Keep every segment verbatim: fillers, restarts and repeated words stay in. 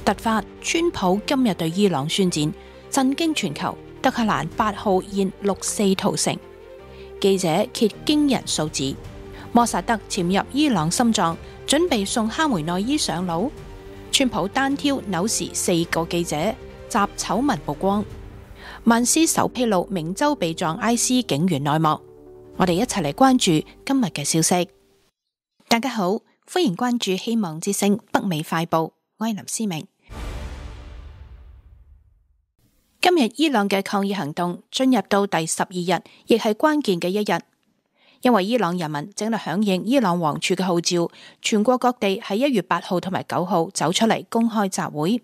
突發，川普今日對伊朗宣戰，震驚全球。德黑蘭八號現六四屠城，記者揭驚人數字。摩薩德潛入伊朗心臟，準備送哈梅內伊上路。川普單挑紐時四個記者，集醜聞曝光。曼斯首披露明州被撞 I C 警員內幕。我哋一齊嚟關注今日嘅消息。大家好，歡迎關注希望之聲北美快報，我係林思明。今日伊朗嘅抗議行動進入到第十二日，亦係關鍵嘅一日，因為伊朗人民正喺響應伊朗王儲嘅號召，全國各地喺一月八號同埋九號走出嚟公開集會。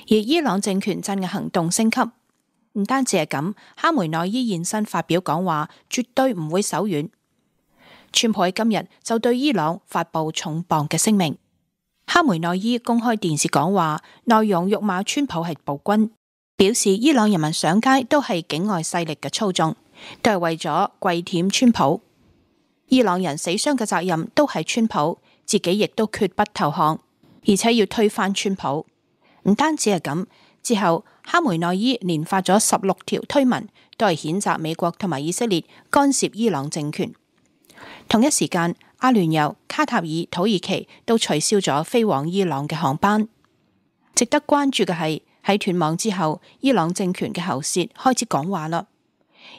而伊朗政權鎮壓行動升級，唔單止係咁，哈梅內伊現身發表講話，絕對唔會手軟。川普喺今日就對伊朗發布重磅嘅聲明。哈梅內伊公開電視講話，內容辱罵川普係暴君。表示伊朗人民上街都係境外勢力嘅操縱，都係為咗跪舔川普。伊朗人死傷嘅責任都係川普，自己亦都決不投降，而且要推翻川普。唔單止係咁，之後哈梅內伊連發咗十六條推文，都係譴責美國同埋以色列干涉伊朗政權。同一時間，阿聯酋、卡塔爾、土耳其都取消咗飛往伊朗嘅航班。值得關注嘅係，喺斷網之後，伊朗政權嘅喉舌開始講話啦。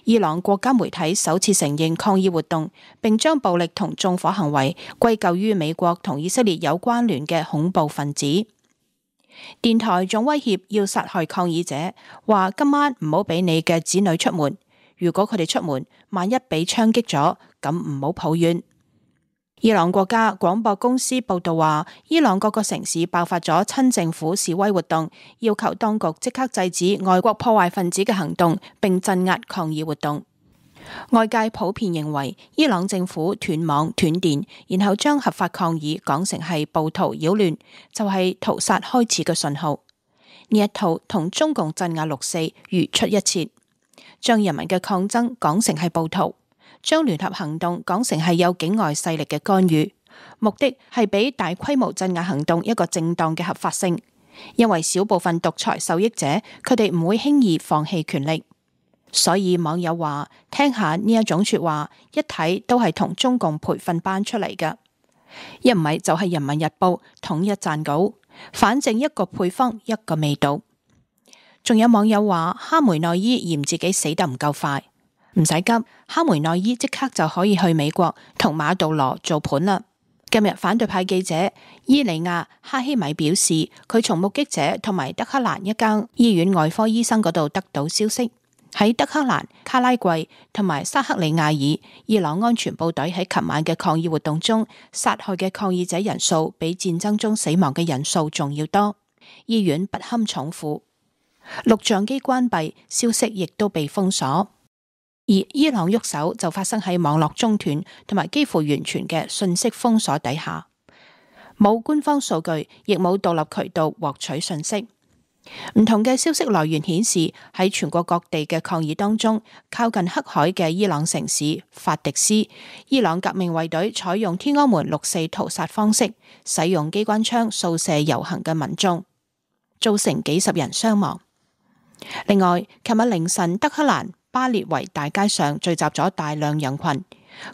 伊朗國家媒體首次承認抗議活動，並將暴力同縱火行為歸咎於美國同以色列有關聯嘅恐怖分子。電台仲威脅要殺害抗議者，話今晚唔好俾你嘅子女出門，如果佢哋出門，萬一被槍擊咗，咁唔好抱怨。伊朗國家廣播公司報道話，伊朗各個城市爆發咗親政府示威活動，要求當局即刻制止外國破壞分子嘅行動，並鎮壓抗議活動。外界普遍認為，伊朗政府斷網斷電，然後將合法抗議講成係暴徒擾亂，就係屠殺開始嘅信號。呢一套同中共鎮壓六四如出一轍，將人民嘅抗爭講成係暴徒，將聯合行動講成係有境外勢力嘅干預，目的係俾大規模鎮壓行動一個正當嘅合法性。因為少部分獨裁受益者，佢哋唔會輕易放棄權力。所以網友話，聽下呢一種說話，一睇都係同中共培訓班出嚟㗎，一唔係就係人民日報統一撰稿，反正一個配方一個味道。仲有網友話，哈梅內伊嫌自己死得唔夠快。唔使急，哈梅內伊即刻就可以去美國同馬杜羅做盤啦。今日反對派記者伊利亞哈希米表示，佢從目擊者同埋德黑蘭一間醫院外科醫生嗰度得到消息，喺德黑蘭、卡拉季同埋沙克里亞爾，伊朗安全部隊喺琴晚嘅抗議活動中殺害嘅抗議者人數比戰爭中死亡嘅人數仲要多，醫院不堪重負，錄像機關閉，消息亦都被封鎖。而伊朗喐手就發生喺網絡中斷同埋幾乎完全嘅信息封鎖底下，冇官方數據，亦冇獨立渠道獲取信息。唔同嘅消息來源顯示，喺全國各地嘅抗議當中，靠近黑海嘅伊朗城市法迪斯，伊朗革命衛隊採用天安門六四屠殺方式，使用機關槍掃射遊行嘅民眾，造成幾十人傷亡。另外，琴日凌晨德黑蘭巴列維大街上聚集咗大量人群，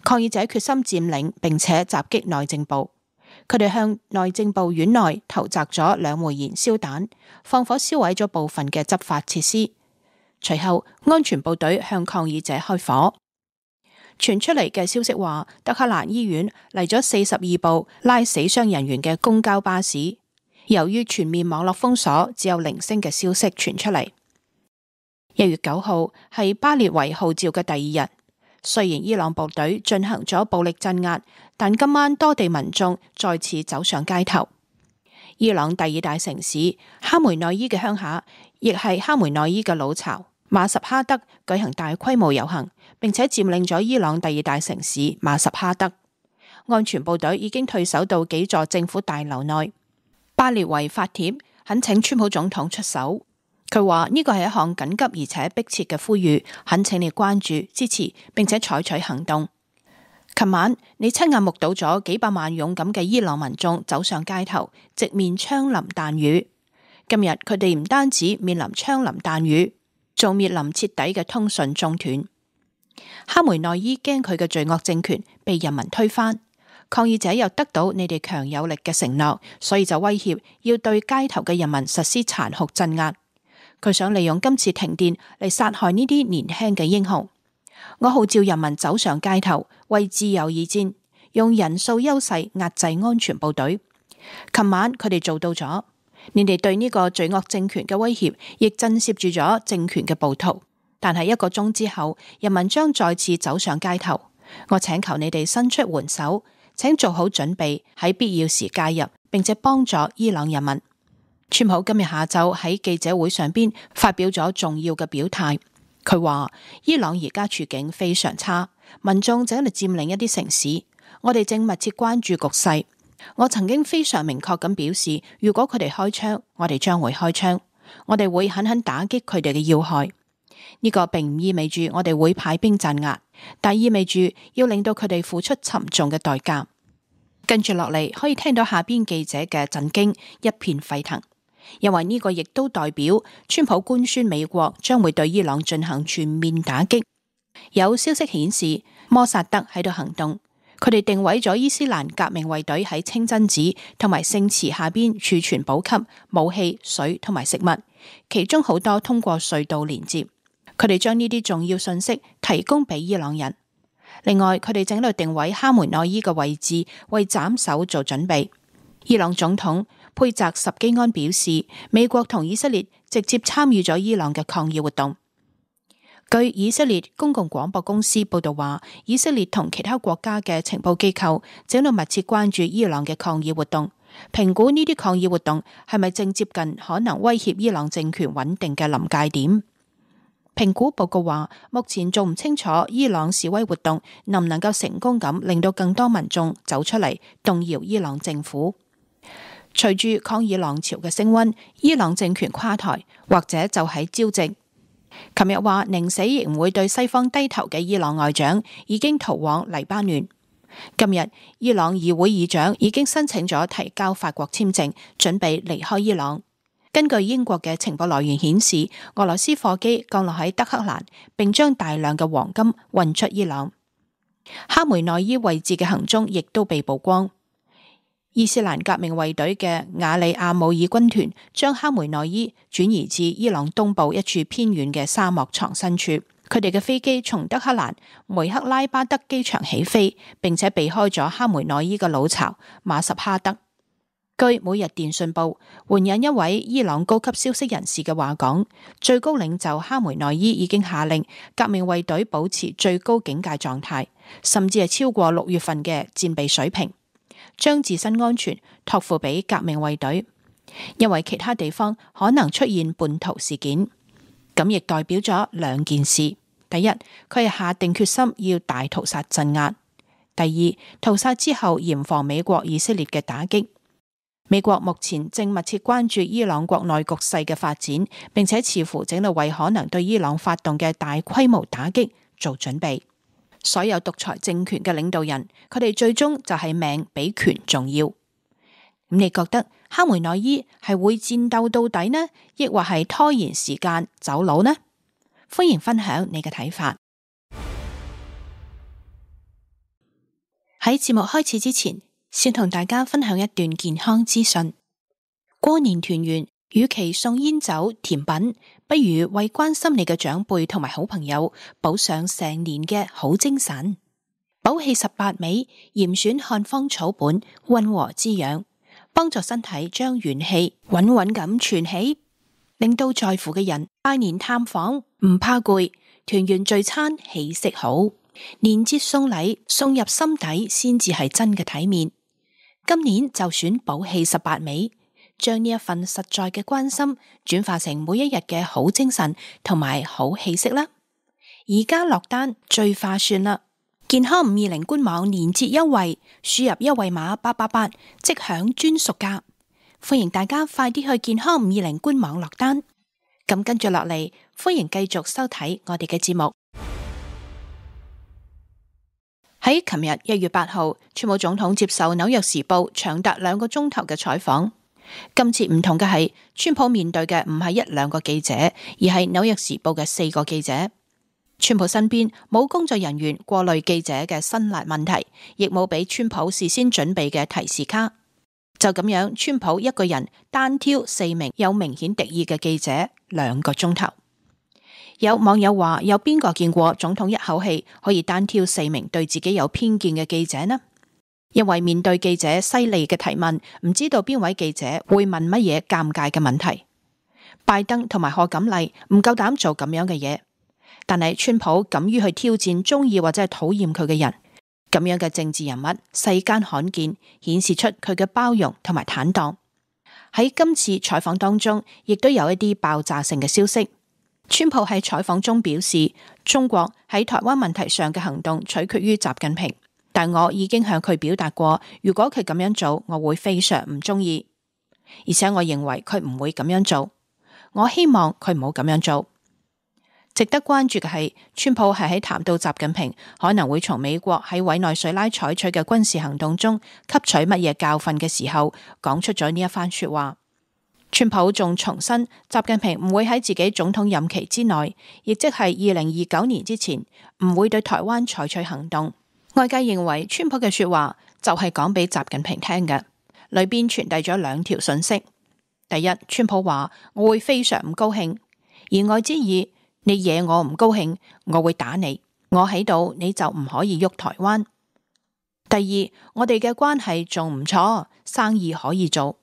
抗議者決心佔領並且襲擊內政部。佢哋向內政部院內投擲咗兩枚燃燒彈，放火燒毀咗部分嘅執法設施。隨後，安全部隊向抗議者開火。傳出嚟嘅消息話，德黑蘭醫院嚟咗四十二部拉死傷人員嘅公交巴士。由於全面網絡封鎖，只有零星嘅消息傳出嚟。一月九號係巴列維號召嘅第二日，雖然伊朗部隊進行咗暴力鎮壓，但今晚多地民眾再次走上街頭。伊朗第二大城市哈梅內伊嘅鄉下，亦係哈梅內伊嘅老巢馬什哈德舉行大規模遊行，並且佔領咗伊朗第二大城市馬什哈德。安全部隊已經退守到幾座政府大樓內。巴列維發帖懇請川普總統出手。佢話呢個係一項緊急而且迫切嘅呼籲，懇請你關注、支持，並且採取行動。琴晚你親眼目睹咗幾百萬勇敢嘅伊朗民眾走上街頭，直面槍林彈雨。今日佢哋唔單止面臨槍林彈雨，仲面臨徹底嘅通訊中斷。哈梅內伊驚佢嘅罪惡政權被人民推翻，抗議者又得到你哋強有力嘅承諾，所以就威脅要對街頭嘅人民實施殘酷鎮壓。佢想利用今次停電嚟殺害呢啲年輕嘅英雄。我號召人民走上街頭，為自由而戰，用人數優勢壓制安全部隊。琴晚佢哋做到咗，你哋對呢個罪惡政權嘅威脅亦震懾住咗政權嘅暴徒。但係一個鐘之後，人民將再次走上街頭。我請求你哋伸出援手，請做好準備，喺必要時介入，並且幫助伊朗人民。川普今日下晝喺記者會上邊發表咗重要嘅表態。佢話伊朗而家處境非常差，民眾正喺度佔領一啲城市，我哋正密切關注局勢。我曾經非常明確咁表示，如果佢哋開槍，我哋將會開槍，我哋會狠狠打擊佢哋嘅要害。呢個並唔意味住我哋會派兵鎮壓，但意味住要令到佢哋付出沉重嘅代價。跟住落嚟可以聽到下邊記者嘅震驚，一片沸騰，因為呢個亦都代表川普官宣美國將會對伊朗進行全面打擊。有消息顯示，摩薩德喺度行動，佢哋定位咗伊斯蘭革命衛隊喺清真寺同埋聖池下邊儲存補給、武器、水同埋食物，其中好多通過隧道連接。佢哋將呢啲重要信息提供俾伊朗人。另外，佢哋正喺度定位哈梅內伊嘅位置，為斬首做準備。伊朗總統佩澤什基安表示，美國同以色列直接參與咗伊朗嘅抗議活動。據以色列公共廣播公司報道話，以色列同其他國家嘅情報機構正喺度密切關注伊朗嘅抗議活動，評估呢啲抗議活動係咪正接近可能威脅伊朗政權穩定嘅臨界點。評估報告話，目前仲唔清楚伊朗示威活動能唔能夠成功咁令到更多民眾走出嚟動搖伊朗政府。隨住抗議浪潮嘅升溫，伊朗政權垮台或者就喺朝夕。琴日話寧死亦唔會對西方低頭嘅伊朗外長已經逃往黎巴嫩。今日伊朗議會議長已經申請咗提交法國簽證，準備離開伊朗。根據英國嘅情報來源顯示，俄羅斯貨機降落喺德黑蘭，並將大量嘅黃金運出伊朗。哈梅內伊位置嘅行蹤亦都被曝光。伊斯蘭革命衛隊嘅瓦里亞姆爾軍團將哈梅內伊轉移至伊朗東部一處偏遠嘅沙漠藏身處。佢哋嘅飛機從德黑蘭梅克拉巴德機場起飛，並且避開咗哈梅內伊嘅老巢馬什哈德。據每日電訊報援引一位伊朗高級消息人士嘅話講，最高領袖哈梅內伊已經下令革命衛隊保持最高警戒狀態，甚至係超過六月份嘅戰備水平，將自身安全託付俾革命衛隊，因為其他地方可能出現叛徒事件。咁亦代表咗兩件事：第一，佢係下定決心要大屠殺鎮壓；第二，屠殺之後嚴防美國以色列嘅打擊。美國目前正密切關注伊朗國內局勢嘅發展，並且似乎正喺度為可能對伊朗發動嘅大規模打擊做準備。所有獨裁政權嘅領導人，佢哋最終就係命比權重要。咁你覺得哈梅內伊係會戰鬥到底呢，抑或係拖延時間走佬呢？歡迎分享你嘅睇法。喺節目開始之前，先同大家分享一段健康資訊。過年團圓，與其送煙酒甜品，不如為關心你嘅長輩同埋好朋友補上成年嘅好精神。補氣十八味，嚴選漢方草本，溫和滋養，幫助身體將元氣穩穩咁存起，令到在乎嘅人拜年探訪唔怕攰，團圓聚餐氣息好，年節送禮送入心底先至係真嘅體面。今年就選補氣十八味，將呢一份實在嘅關心轉化成每一日嘅好精神同埋好氣息啦。而家落單最划算啦！健康五二零官網年節優惠，輸入優惠碼八八八即享專屬價。歡迎大家快啲去健康五二零官網落單。咁跟住落嚟，歡迎繼續收睇我哋嘅節目。喺琴日一月八號，川普總統接受紐約時報長達兩個鐘頭嘅採訪。今次唔同嘅係，川普面對嘅唔係一兩個記者，而係紐約時報嘅四個記者。川普身邊冇工作人員過濾記者嘅辛辣問題，亦冇俾川普事先準備嘅提示卡。就咁樣，川普一個人單挑四名有明顯敵意嘅記者兩個鐘頭。有網友話：有邊個見過總統一口氣可以單挑四名對自己有偏見嘅記者呢？因為面對記者犀利嘅提問，唔知道邊位記者會問乜嘢尷尬嘅問題。拜登同埋賀錦麗唔夠膽做咁樣嘅嘢，但係川普敢於去挑戰中意或者係討厭佢嘅人，咁樣嘅政治人物世間罕見，顯示出佢嘅包容同埋坦蕩。喺今次採訪當中，亦都有一啲爆炸性嘅消息。川普喺採訪中表示，中國喺台灣問題上嘅行動取決於習近平。但我已經向佢表達過，如果佢咁樣做，我會非常唔中意，而且我認為佢唔會咁樣做。我希望佢唔好咁樣做。值得關注嘅係，川普係喺談到習近平可能會從美國喺委內瑞拉採取嘅軍事行動中吸取乜嘢教訓嘅時候，講出咗呢一番說話。川普仲重申，習近平唔會喺自己總統任期之內，亦即係二零二九年之前，唔會對台灣採取行動。外界認為川普嘅說話就係講俾習近平聽嘅，裏邊傳遞咗兩條訊息。第一，川普話我會非常唔高興，言外之意，你惹我唔高興，我會打你，我喺度你就唔可以喐台灣。第二，我哋嘅關係仲唔錯，生意可以做。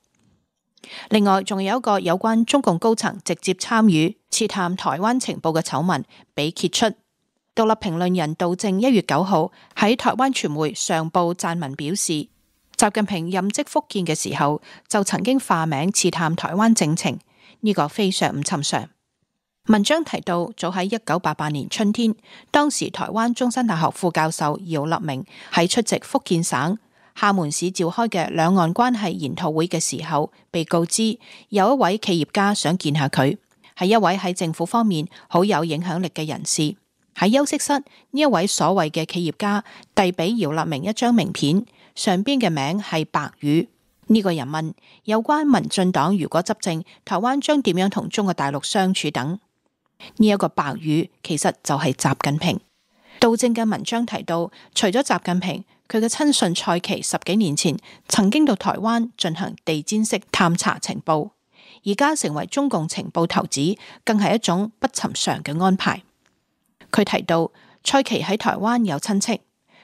另外，仲有一個有關中共高層直接參與刺探台灣情報嘅醜聞被揭出。獨立評論人杜正一月九號喺台灣傳媒上報撰文表示，習近平任職福建嘅時候就曾經化名刺探台灣政情，呢個非常唔尋常。文章提到，早喺一九八八年春天，當時台灣中山大學副教授姚立明喺出席福建省廈門市召開嘅兩岸關係研討會嘅時候，被告知有一位企業家想見下佢，係一位喺政府方面好有影響力嘅人士。喺休息室，呢一位所謂嘅企業家遞俾姚立明一張名片，上邊嘅名係白羽。呢、這個人問有關民進黨如果執政，台灣將點樣同中國大陸相處等。呢、這、一個白羽其實就係習近平。杜正嘅文章提到，除咗習近平，佢嘅親信蔡奇十幾年前曾經到台灣進行地毯式探查情報，而家成為中共情報頭子，更係一種不尋常嘅安排。佢提到，蔡奇喺台灣有親戚，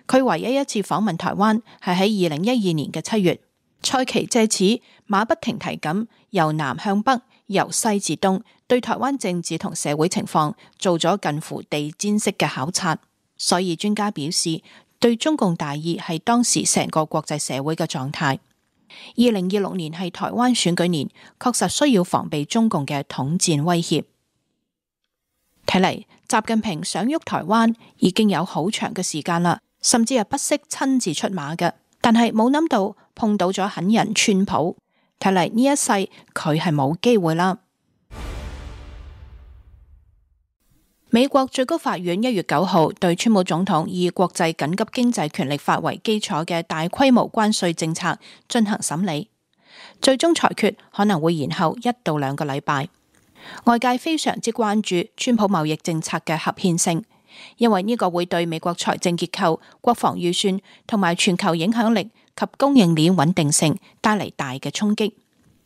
佢唯一一次訪問台灣係喺二零一二年嘅七月。蔡奇借此馬不停蹄咁由南向北，由西至東，對台灣政治同社會情況做咗近乎地毯式嘅考察。所以專家表示，對中共大意係當時成個國際社會嘅狀態。二零二六年係台灣選舉年，確實需要防備中共嘅統戰威脅。睇嚟，習近平想喐台灣已經有好長嘅時間啦，甚至係不惜親自出馬嘅，但係冇諗到碰到咗狠人川普，睇嚟呢一世佢係冇機會啦。美國最高法院一月九號對川普總統以國際緊急經濟權力法為基礎嘅大規模關稅政策進行審理，最終裁決可能會延後一到兩個禮拜。外界非常之關注川普貿易政策嘅合憲性，因為呢個會對美國財政結構、國防預算同埋全球影響力及供應鏈穩定性帶嚟大嘅衝擊。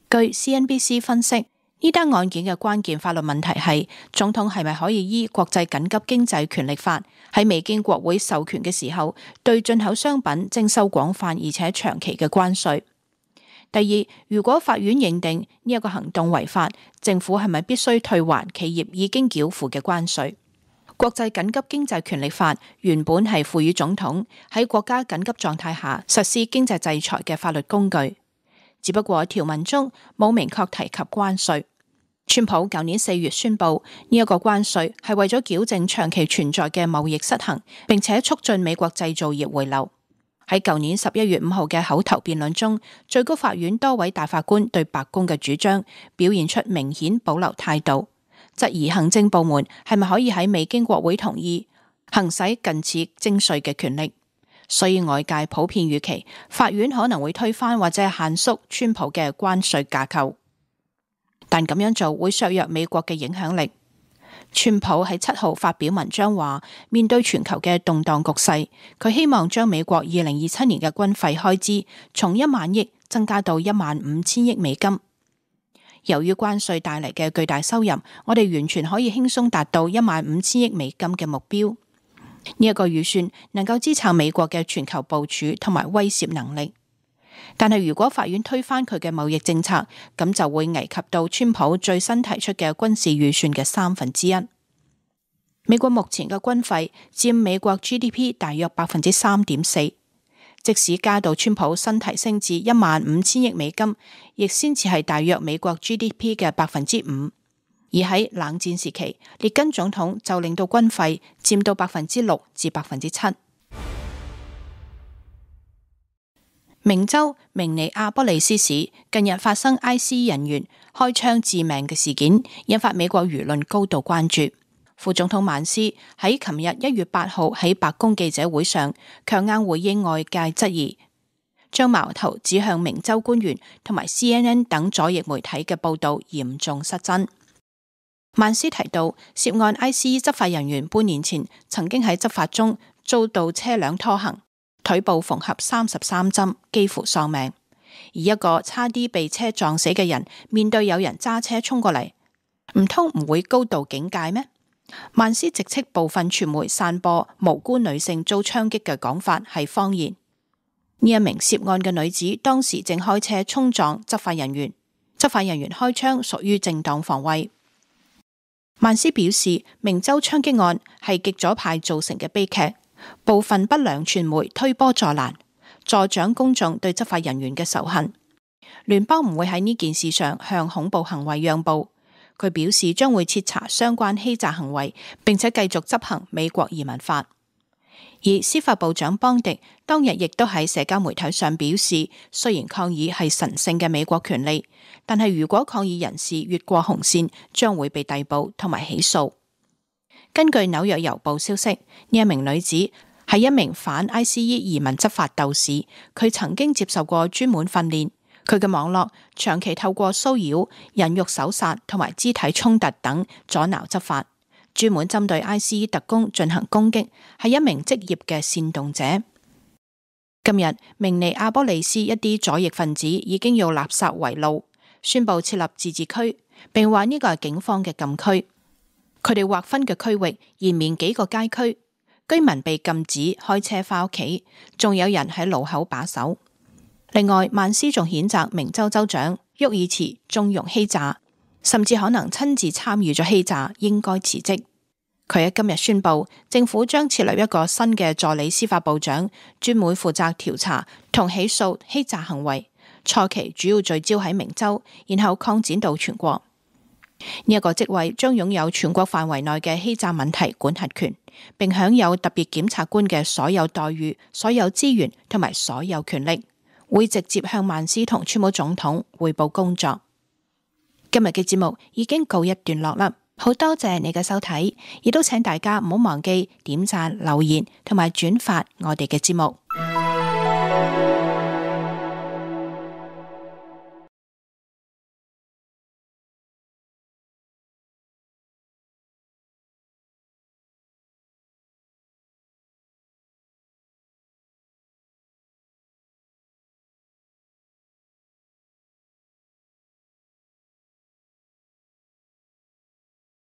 據 C N B C 分析，呢單案件嘅關鍵法律問題係總統係咪可以依國際緊急經濟權力法喺未經國會授權嘅時候，對進口商品徵收廣泛而且長期嘅關稅。第二，如果法院認定呢一個行動違法，政府係咪必須退還企業已經繳付嘅關稅？國際緊急經濟權力法原本係賦予總統喺國家緊急狀態下實施經濟制裁嘅法律工具，只不過條文中冇明確提及關稅。川普舊年四月宣布呢一個關稅係為咗矯正長期存在嘅貿易失衡，並且促進美國製造業回流。喺舊年十一月五號嘅口頭辯論中，最高法院多位大法官對白宮嘅主張表現出明顯保留態度，質疑行政部門係咪可以喺未經國會同意行使近似徵稅嘅權力。所以外界普遍預期法院可能會推翻或者限縮川普嘅關稅架構，但咁樣做會削弱美國嘅影響力。川普喺七號發表文章話，面對全球嘅動盪局勢，佢希望將美國二零二七年嘅軍費開支從一萬億增加到一萬五千億美金。由於關稅帶嚟嘅巨大收入，我哋完全可以輕鬆達到一萬五千億美金嘅目標。呢一個預算能夠支撐美國嘅全球部署同埋威懾能力。但係如果法院推翻佢嘅貿易政策，咁就會危及到川普最新提出嘅軍事預算嘅三分之一。美國目前嘅軍費佔美國 G D P 大約百分之三點四，即使加到川普新提升至一萬五千億美金，亦先至係大約美國 G D P 嘅百分之五。而喺冷戰時期，列根總統就令到軍費佔到百分之六至百分之七。明州明尼阿波利斯市近日發生 I C E 人員開槍致命嘅事件，引發美國輿論高度關注。副總統曼斯喺琴日一月八號喺白宮記者會上強硬回應外界質疑，將矛頭指向明州官員同埋 C N N 等左翼媒體嘅報道嚴重失真。曼斯提到，涉案 I C E 執法人員半年前曾經喺執法中遭到車輛拖行，腿部縫合三十三針，幾乎喪命。而一個差啲被車撞死嘅人，面對有人揸車衝過嚟，唔通唔會高度警戒咩？曼斯直斥部分傳媒散播無辜女性遭槍擊嘅講法係謊言。呢一名涉案嘅女子當時正開車衝撞執法人員，執法人員開槍屬於正當防衛。曼斯表示，明州槍擊案係極左派造成嘅悲劇，部分不良傳媒推波助瀾，助長公眾對執法人員嘅仇恨。聯邦唔會喺呢件事上向恐怖行為讓步。佢表示將會徹查相關欺詐行為，並且繼續執行美國移民法。而司法部長邦迪當日亦都喺社交媒體上表示，雖然抗議係神聖嘅美國權利，但係如果抗議人士越過紅線，將會被逮捕同埋起訴。根據紐約郵報消息，呢一名女子係一名反 I C E 移民執法鬥士，佢曾經接受過專門訓練。佢嘅網絡長期透過騷擾、人肉搜殺同埋肢體衝突等阻撓執法，專門針對 I C E 特工進行攻擊，係一名職業嘅煽動者。今日明尼阿波利斯一啲左翼分子已經用垃圾圍路，宣布設立自治區，並話呢個係警方嘅禁區。佢哋劃分嘅區域延綿幾個街區，居民被禁止開車返屋企，仲有人喺路口把守。另外，曼斯仲譴責明州州長沃爾茨縱容欺詐，甚至可能親自參與咗欺詐，應該辭職。佢喺今日宣布，政府將設立一個新嘅助理司法部長，專門負責調查同起訴欺詐行為，初期主要聚焦喺明州，然後擴展到全國。呢一個職位將擁有全國範圍內嘅欺詐問題管轄權，並享有特別檢察官嘅所有待遇、所有資源同埋所有權力。會直接向曼斯同川普總統匯報工作。今日嘅節目已經告一段落啦，好多謝你嘅收睇，亦都請大家唔好忘記點讚、留言同埋轉發我哋嘅節目。